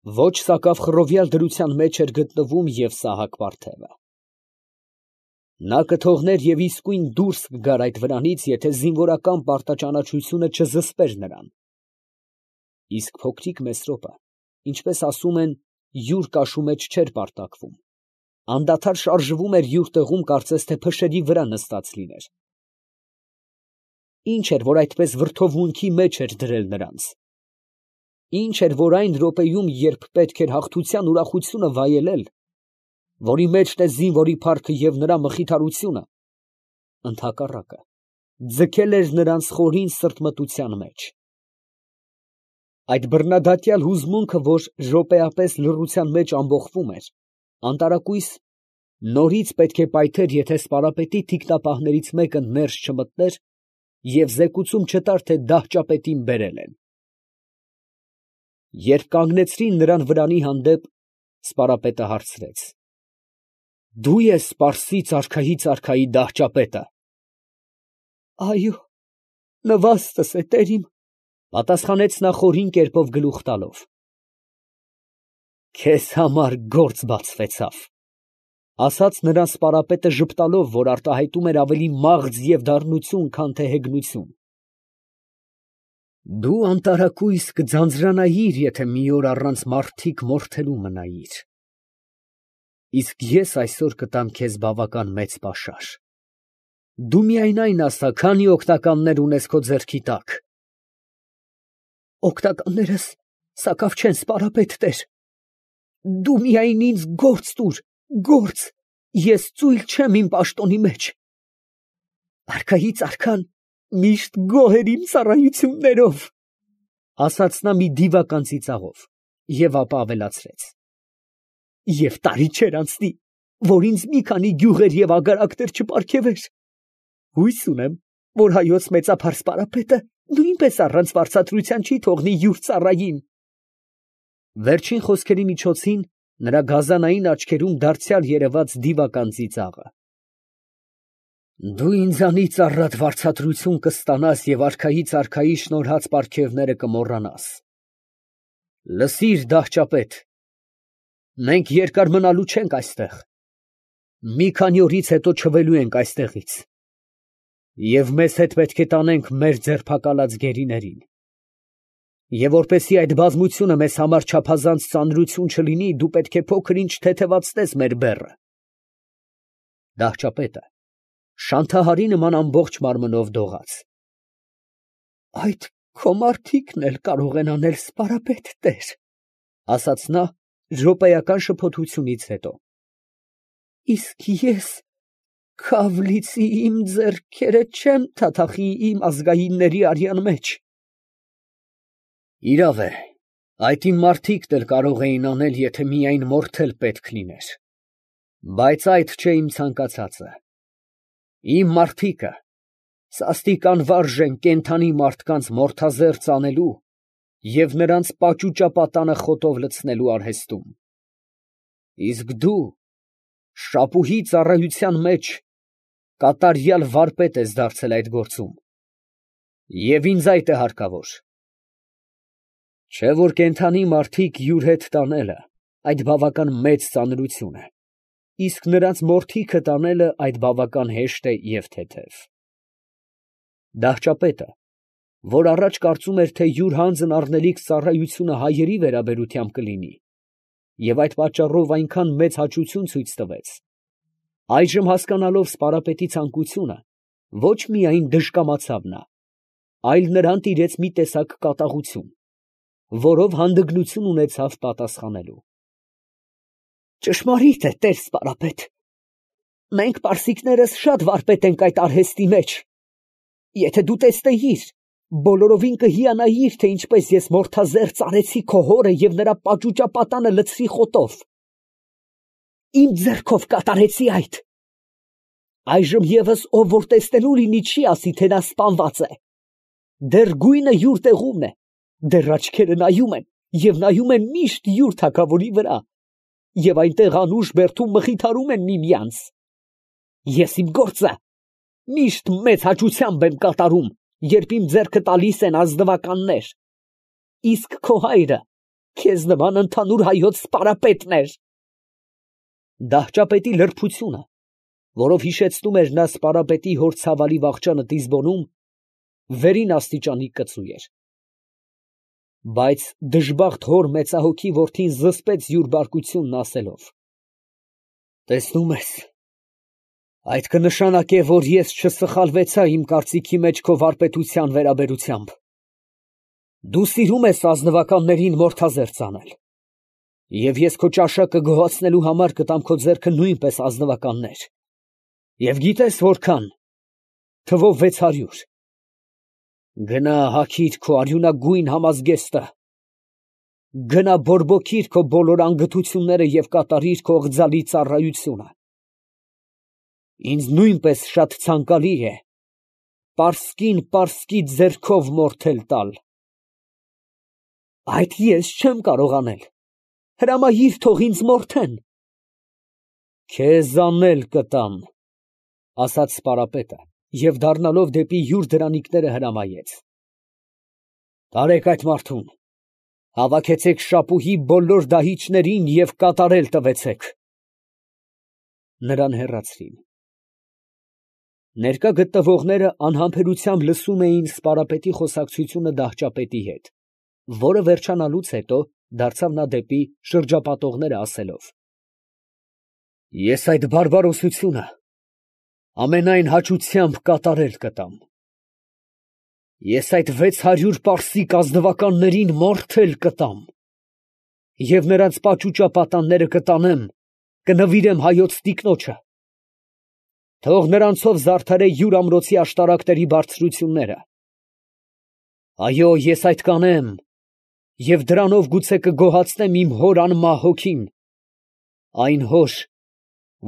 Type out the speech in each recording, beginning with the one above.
Ոչ սակավ դրության մեջ էր գտնվում և Սահակ վարդևը։ Նա կթողներ և իսկույն դուրս կգար այդ վրանից, եթե զինվորական պարտաճանաչությունը չզսպեր նրան։ Իսկ փոքրիկ Մեսրոպը, ինչպես ասում են, յուր կաշու մեջ չէր պարտակվում, անդադար շարժվում էր յուր տեղում, կարծես թե փշերի վրա նստած լիներ։ Ինչ էր, որ այդպես վրդովմունքի մեջ էր դրել նրանց։ Ինչ էր, որ այն րոպեում, երբ պետք էր հաղթության ուրախությունը վայելել, որի մեջն է զինվորի փառքը և նրա մխիթարությունը, ընդհակառակը, ձգել էր նրանց խորին սրտմտության մեջ։ Այդ բռնադատյալ հուզմունքը, որ րոպեապես լռության մեջ ամբոխվում էր, անտարակույս նորից պետք է պայթեր, եթե սպարապետի թիկնապահներից մեկը ներս չմտներ և զեկուցում չտար, թե դահճապետին բերել են։ Երբ կանգնեցրին նրան վրանի հանդեպ, սպարապետը հարցրեց. «Դու ես Պարսից արքայից արքայի դահճապետը»։ «Այո, նվաստս է, տերիմ», ֊ պատասխանեց նա խորին կերպով գլուխ տալով։ «Քեզ համար գործ բացվեցավ», ֊ ասաց նրան սպարապետը ժպտալով, որ արտահայտում էր ավելի մաղձ և դառնություն, քան թե հեգնություն։ «Դու անտարակույս կձանձրանայիր, եթե մի օր առանց մարդիկ մորթելու մնայիր, իսկ ես այսօր կտամ քեզ բավական մեծ պաշար։ Դու միայն այն ասա, քանի օգնականներ ունես քո ձեռքի տակ»։ «Օգնականներս սակավ չեն, սպարապետ տեր. դու միայն ինձ գործ տուր, գործ, ես ծույլ չեմ իմ պաշտոնի մեջ։ Արքայից արքան միշտ գոհ էր իմ ծառայություններով», ֊ ասաց նա մի դիվական ծիծաղով և ապա ավելացրեց. «Եվ տարի չէր անցնի, որ ինձ մի քանի գյուղեր և ագարակներ չպարգևեր։ Հույս ունեմ, որ հայոց մեծափառ սպարապետը նույնպես առանց վարձատրության չի թողնի յուր ծառային»։ Վերջին խոսքերի միջոցին նրա գազանային աչքերում դարձյալ երևաց դիվական ծիծաղը։ «Դու ինձանից առատ վարձատրություն կստանաս և արքայից արքայի շնորհած պարգևները կմոռանաս։ Լսիր, դահճապետ, մենք երկար մնալու չենք այստեղ, մի քանի օրից հետո չվելու ենք այստեղից, և մեզ հետ պետք է տանենք մեր ձերբակալած գերիներին, և որպեսզի այդ բազմությունը մեզ համար չափազանց ծանրություն չլինի, դու պետք է փոքր ինչ թեթևացնես մեր բեռը։ Դահճապետը շանթահարի նման ամբողջ մարմնով դողաց։ «Այդ քո մարդիկն էլ կարող են անել, սպարապետ տեր», ֊ ասաց նա րոպեական շփոթությունից հետո։ «Իսկ ես քավ լիցի իմ ձեռքերը չեմ թաթախի իմ ազգայինների արյան մեջ»։ «Իրավ է, այդ իմ մարդիկն էլ կարող էին անել, եթե միայն մորթել պետք լիներ, բայց այդ չէ իմ ցանկացածը։ Իմ մարդիկը սաստիկ անվարժ են կենդանի մարդկանց մորթազերծ անելու և նրանց պաճուճապատանը խոտով լցնելու արհեստում։ Իսկ դու շապուհի ծառայության մեջ կատարյալ վարպետ ես դարձել այդ գործում, և ինձ այդ է հարկավոր։ Չէ՞ որ կենդանի մարդիկ յուր հետ տանելը այդ բավական մեծ ծանրություն է, իսկ նրանց մորթիքը տանելը այդ բավական հեշտ է և թեթև»։ Դահճապետը, որ առաջ կարծում էր, թե յուր հանձն առնելիք ծառայությունը հայերի վերաբերությամբ կլինի, և այդ պատճառով այնքան մեծ հաճություն ցույց տվեց, այժմ հասկանալով սպարապետի ցանկությունը, ոչ միայն դժկամացավ նա, այլ նրան տիրեց մի տեսակ կատաղություն, որով հանդգնություն ունեցավ պատասխանելու։ «Ճշմարիտ է, տեր սպարապետ, մենք պարսիկներս շատ վարպետ ենք այդ արհեստի մեջ։ Եթե դու տեսնեիր, բոլորովին կհիանայիր, թե ինչպես ես մորթազերծ արեցի քո հորը և նրա պաճուճապատանը լցրի խոտով։ Իմ ձեռքով կատարեցի այդ։ Այժմ ևս ով որ տեսնելու լինի, չի ասի, թե նա սպանված է։ Դեռ գույնը յուր տեղումն է, դեռ աչքերը նայում են, և նայում են միշտ յուր թագավորի վրա, և այնտեղ անուշ բերդում մխիթարում են միմյանց։ Ես իմ գործը միշտ մեծ հաճությամբ եմ կատարում, երբ իմ ձեռքը տալիս են ազնվականներ, իսկ քո հայրը Քեզ նման ընդհանուր հայոց սպարապետն էր։ Դահճապետի լրբությունը, որով հիշեցնում էր նա սպարապետի հոր ցավալի վախճանը Տիզբոնում, վերին աստիճանի կծու էր։ Բայց դժբախտ հոր մեծահոգի որդին զսպեց յուր բարկությունն ասելով. «Տեսնում ես, այդ կնշանակե, որ ես չսխալվեցա իմ կարծիքի մեջ քո վարպետության վերաբերությամբ։ Դու սիրում ես ազնվականներին մորթազերծ անել, և ես քո ճաշակը գոհացնելու համար կտամ քո ձեռքը նույնպես ազնվականներ, և գիտես որքան, թվով 600։ Գնա հագիր քո արյունագույն համազգեստը, գնա բորբոքիր քո բոլոր անգթությունները և կատարիր քո ղձալի ծառայությունը։ Ինձ նույնպես շատ ցանկալի է պարսկին պարսկի ձեռքով մորթել տալ։ Այդ ես չեմ կարող անել, հրամայիր, թող ինձ մորթեն։ Քեզ անել կտամ, ասաց սպարապետը, և դառնալով դեպի յուր դրանիկները հրամայեց. տարեք այդ մարդուն, հավաքեցեք շապուհի բոլոր դահիճներին և կատարել տվեցեք։ Նրան հեռացրին։ Ներկա գտնվողները անհամբերությամբ լսում էին սպարապետի խոսակցությունը դահճապետի հետ, որը վերջանալուց հետո դարձավ նա դեպի շրջապատողները ասելով. Ես այդ բարբարոսությունը ամենայն հաճությամբ կատարել կտամ։ Ես այդ 600 պարսիկ ազնվականներին մորթել կտամ, և նրանց պաճուճապատանները կտանեմ, կնվիրեմ հայոց տիկնոջը։ Թող նրանցով զարդարե յուր ամրոցի աշտարակների բարձրությունները։ Այո, ես այդ կանեմ, և դրանով գուցե կգոհացնեմ իմ հոր անմահ հոգին, այն հոր,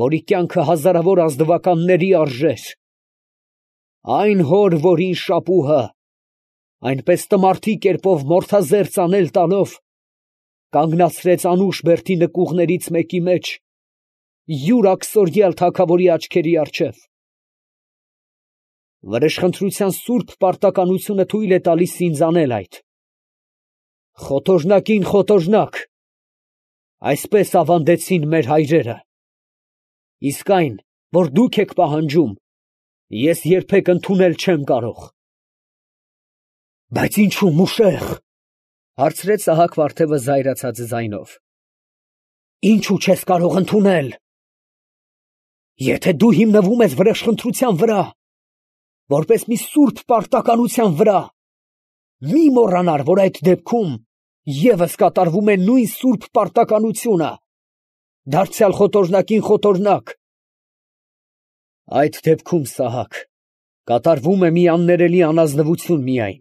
որի կյանքը հազարավոր ազնվականների արժեր, այն հոր, որին շապուհը այնպես տմարդի կերպով մորթազերծ անել տալով կանգնացրեց անուշ բերդի նկուղներից մեկի մեջ յուր աքսորյալ թագավորի աչքերի առջև։ Վրեժխնդրության սուրբ պարտականությունը թույլ է տալիս ինձ անել այդ։ Խոթոժնակին խոթոժնակ, այսպես ավանդեցին մեր հայրերը, իսկ այն, որ դուք եք պահանջում, ես երբեք ընդունել չեմ կարող։ Բայց ինչու մուշեղ, հարցրեց Սահակ վարդևը զայրացած ձայնով, ինչու չես կարող ընդունել։ Եթե դու հիմնվում ես վրեժխնդրության վրա, որպես մի սուրբ պարտականության վրա, մի մոռանար, որ այդ դեպքում ևս կատարվում է նույն սուրբ պարտականությունը, դարձյալ խոթոժնակին խոթոժնակ։ Այդ դեպքում, Սահակ, կատարվում է մի աններելի անազնվություն միայն,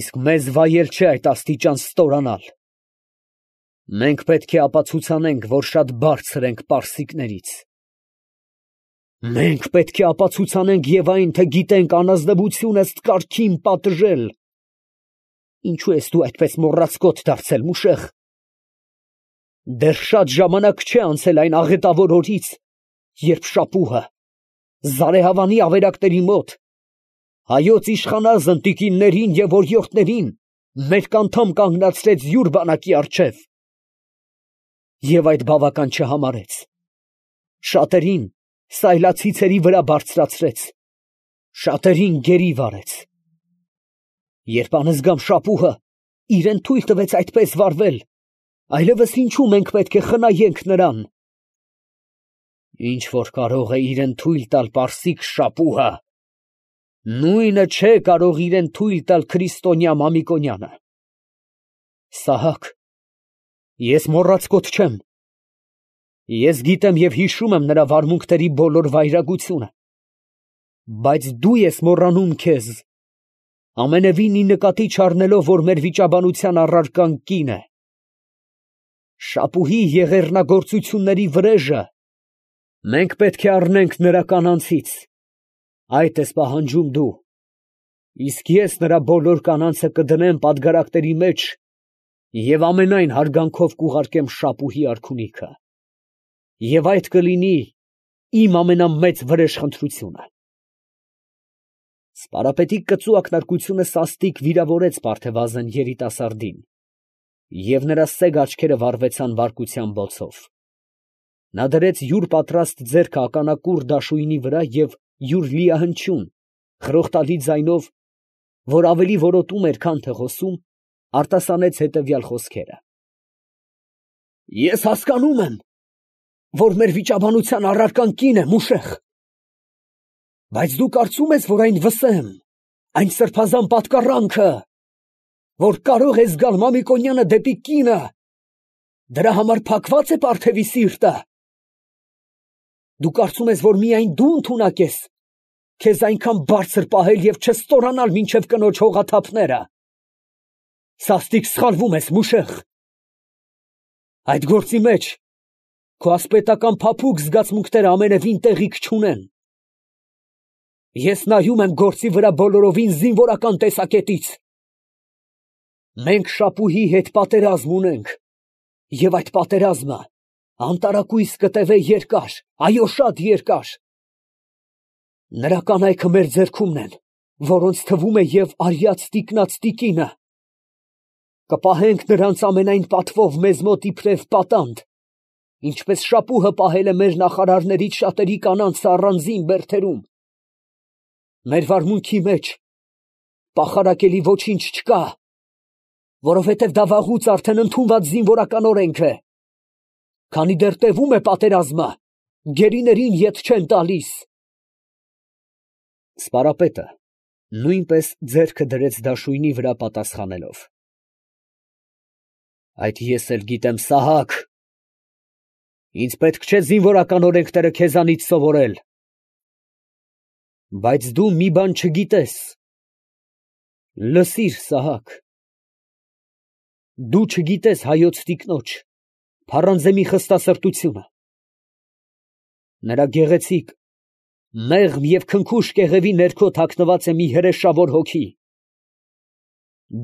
իսկ մեզ վայել չէ այդ աստիճան ստորանալ։ Մենք պետք է ապացուցանենք, որ շատ բարձր ենք պարսիկներից։ Մենք պետք է ապացուցանենք և այն, թե գիտենք անազնվություն ըստ կարգին պատժել։ Ինչու ես դու այդպես մոռացկոտ դարձել, մուշեղ։ Դեռ շատ ժամանակ չէ անցել այն աղետավոր օրից, երբ շապուհը Զարեհավանի ավերակների մոտ հայոց իշխանազն տիկիններին և օրիորդներին մերկ անդամ կանգնացրեց յուր բանակի առջև և այդ բավական չհամարեց, շատերին սայլացիցերի վրա բարձրացրեց, շատերին գերի վարեց։ Երբ անզգամ շապուհը իրեն թույլ տվեց այդպես վարվել, այլևս ինչու մենք պետք է խնայենք նրան։ Ինչ որ կարող է իրեն թույլ տալ պարսիկ շապուհը, նույնը չէ կարող իրեն թույլ տալ քրիստոնյա Մամիկոնյանը։ Սահակ, ես մոռացկոտ չեմ։ Ես գիտեմ և հիշում եմ նրա վարմունքների բոլոր վայրագությունը, բայց դու ես մոռանում քեզ, ամենևին նկատի չառնելով, որ մեր վիճաբանության առարկան կին է։ Շապուհի եղեռնագործությունների վրեժը մենք պետք է առնենք նրա կանանցից, այդ ես պահանջում դու, իսկ ես նրա բոլոր կանանցը կդնեմ պատգարակների մեջ և ամենայն հարգանքով կուղարկեմ շապուհի արքունիքը, և այդ կլինի իմ ամենամեծ վրեժխնդրությունը։ Սպարապետի կծու ակնարկությունը սաստիկ վիրավորեց Պարթևազն երիտասարդին, Եվ նրա սեգ աչքերը վառվեցան բարկության բոցով։ Նա դրեց յուր պատրաստ ձեռքը ականակուռ դաշույնի վրա և յուր լիահնչյուն, խրոխտալի ձայնով, որ ավելի որոտում էր, քան թե խոսում, արտասանեց հետևյալ խոսքերը. «Ես հասկանում եմ, որ մեր վիճաբանության առարկան կին է, Մուշեղ, բայց դու կարծում ես, որ այն վսեմ, այն սրբազան պատկառանքը, որ կարող է զգալ Մամիկոնյանը դեպի կինը, դրա համար փակված է Պարթևի սիրտը։ Դու կարծում ես, որ միայն դու ընդունակ ես քեզ այնքան բարձր պահել և չստորանալ մինչև կնոջ հողաթափները։ Սաստիկ սխալվում ես, Մուշեղ։ Այդ գործի մեջ քո ասպետական փափուկ զգացմունքները ամենևին տեղիք չունեն։ Ես նայում եմ գործի վրա բոլորովին զինվորական տեսակետից։ Մենք Շապուհի հետ պատերազմ ունենք, և այդ պատերազմը անտարակույս կտևե երկար, այո, շատ երկար։ Նրա կանայքը մեր ձեռքումն են, որոնց թվում է և արյած տիկնած տիկինը։ Կպահենք նրանց ամենայն պատվով մեզ մոտ իբրև պատանդ, ինչպես Շապուհը պահել է մեր նախարարներից շատերի կանանցը առանձին բերդերում։ Մեր վարմունքի մեջ պախարակելի ոչինչ չկա, որովհետև դա վաղուց արդեն ընդունված զինվորական օրենք է։ Քանի դեռ տևում է պատերազմը, գերիներին ետ չեն տալիս։ Սպարապետը նույնպես ձեռքը դրեց դաշույնի վրա պատասխանելով. Այդ ես էլ գիտեմ, Սահակ, ինձ պետք չէ զինվորական օրենքները քեզանից սովորել։ Բայց դու մի բան չգիտես։ Լսիր, Սահակ, դու չգիտես հայոց տիկնոջ Փառանձեմի խստասրտությունը, նրա գեղեցիկ, մեղմ և քնքուշ կեղևի ներքո թաքնված է մի հրեշավոր հոգի։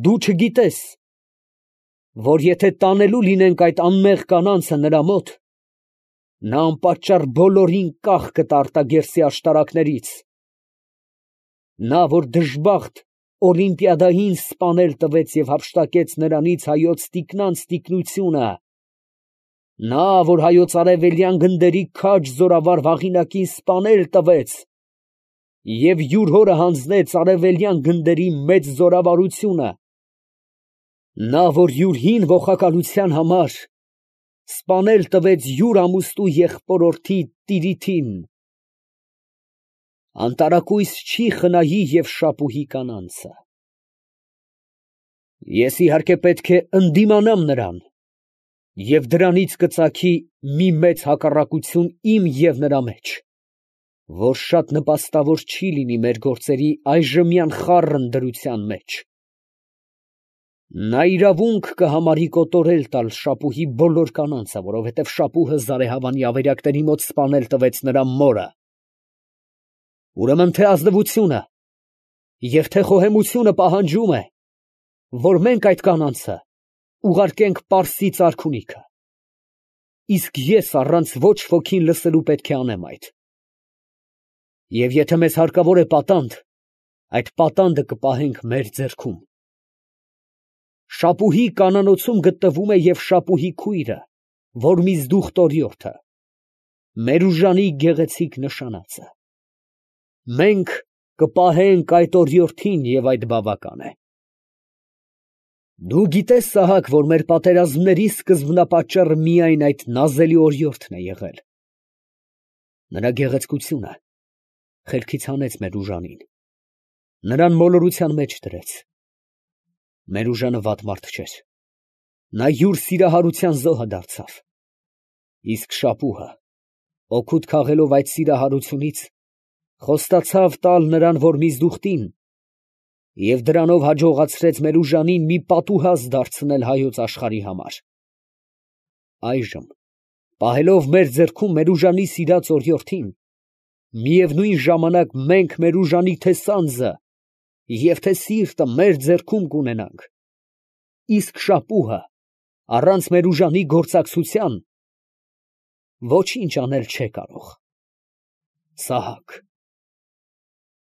Դու չգիտես, որ եթե տանելու լինենք այդ անմեղ կանանցը նրա մոտ, նա անպատճառ բոլորին կախ կտա արտագերսի աշտարակներից։ Նա, որ դժբախտ Օլիմպիադային սպանել տվեց և հափշտակեց նրանից հայոց տիկնանց տիկնությունը, նա, որ հայոց արևելյան գնդերի քաջ զորավար Վաղինակին սպանել տվեց և յուր հորը հանձնեց արևելյան գնդերի մեծ զորավարությունը, նա, որ յուր հին ողակալության համար սպանել տվեց յուր ամուստու եղբորորդի Տիրիթին, անտարակույս չի խնայի և Շապուհի կանանցը։ Ես իհարկե պետք է ընդդիմանամ նրան և դրանից կծագի մի մեծ հակառակություն իմ և նրա մեջ, որ շատ նպաստավոր չի լինի մեր գործերի այժմյան խառն դրության մեջ։ Նա իրավունք կհամարի կոտորել տալ Շապուհի բոլոր կանանցը, որովհետև Շապուհը Զարեհավանի ավերակների մոտ սպանել տվեց նրա մորը։ Ուրեմն թե ազնվությունը և թե խոհեմությունը պահանջում է, որ մենք այդ կանանցը ուղարկենք Պարսից արքունիքը, իսկ ես առանց ոչ ոքին լսելու պետք է անեմ այդ։ Եվ եթե մեզ հարկավոր է պատանդ, այդ պատանդը կպահենք մեր ձեռքում։ Շապուհի կանանոցում գտնվում է և Շապուհի քույրը, Որմիզդուխտ օրիորդը, Մերուժանի գեղեցիկ նշանածը։ Մենք կպահենք այդ օրիորդին և այդ բավական է։ Դու գիտես, Սահակ, որ մեր պատերազմների սկզբնապատճառը միայն այդ նազելի օրիորդն է եղել։ Նրա գեղեցկությունը խելքից հանեց Մերուժանին, նրան մոլորության մեջ դրեց։ Մերուժանը վատ մարդ չէր, նա յուր սիրահարության զոհը դարձավ, իսկ Շապուհը, օգուտ քաղելով այդ սիրահարությունից, խոստացավ տալ նրան Որմիզդուխտին և դրանով հաջողացրեց Մերուժանին մի պատուհաս դարձնել հայոց աշխարհի համար։ Այժմ, պահելով մեր ձեռքում Մերուժանի սիրած օրիորդին, միևնույն ժամանակ մենք Մերուժանի թե սանձը և թե սիրտը մեր ձեռքում կունենանք, իսկ Շապուհը առանց Մերուժանի գործակցության ոչինչ անել չէ կարող։ Սահակ։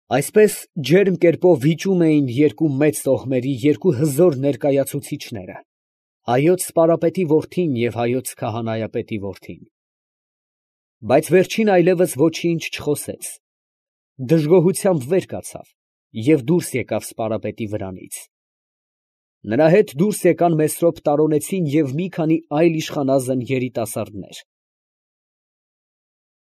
Այսպես ջերմ կերպով վիճում էին երկու մեծ տոհմերի երկու հզոր ներկայացուցիչները, Հայոց սպարապետի որդին և հայոց քահանայապետի որդին։ Բայց վերջին այլևս ոչինչ չխոսեց, դժգոհությամբ վեր կացավ և դուրս եկավ սպարապետի վրանից. նրա հետ դուրս եկան Մեսրոպ տարոնեցին և մի քանի այլ իշխանազն երիտասարդներ։